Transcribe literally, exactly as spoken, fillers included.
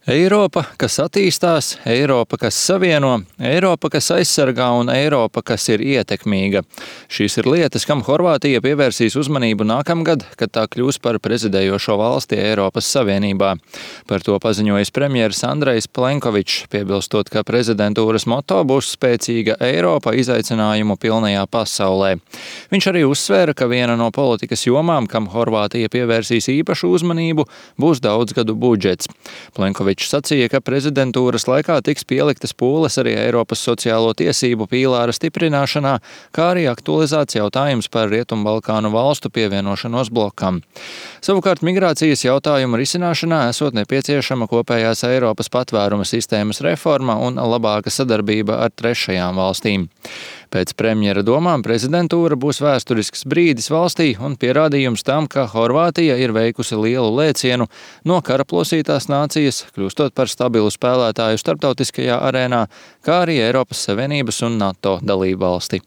Eiropa, kas attīstās, Eiropa, kas savieno, Eiropa, kas aizsargā un Eiropa, kas ir ietekmīga. Šīs ir lietas, kam Horvātija pievērsīs uzmanību nākamgad, kad tā kļūs par prezidējošo valsti Eiropas Savienībā. Par to paziņojis premjeras Andrejs Plenkovičs, piebilstot, ka prezidentūras moto būs spēcīga Eiropa izaicinājumu pilnajā pasaulē. Viņš arī uzsvēra, ka viena no politikas jomām, kam Horvātija pievērsīs īpašu uzmanību, būs daudzgadu budžets. Plenkovičs sacīja, ka prezidentūras laikā tiks pieliktas pūles arī Eiropas sociālo tiesību pīlāra stiprināšanā, kā arī aktualizēts jautājums par Rietumbalkānu valstu pievienošanos blokam. Savukārt migrācijas jautājumu risināšanā esot nepieciešama kopējās Eiropas patvēruma sistēmas reforma un labāka sadarbība ar trešajām valstīm. Pēc premjera domām prezidentūra būs vēsturisks brīdis valstī un pierādījums tam, ka Horvātija ir veikusi lielu lēcienu no karaplosītās nācijas, kļūstot par stabilu spēlētāju starptautiskajā arēnā, kā arī Eiropas Savienības un NATO dalībvalsti.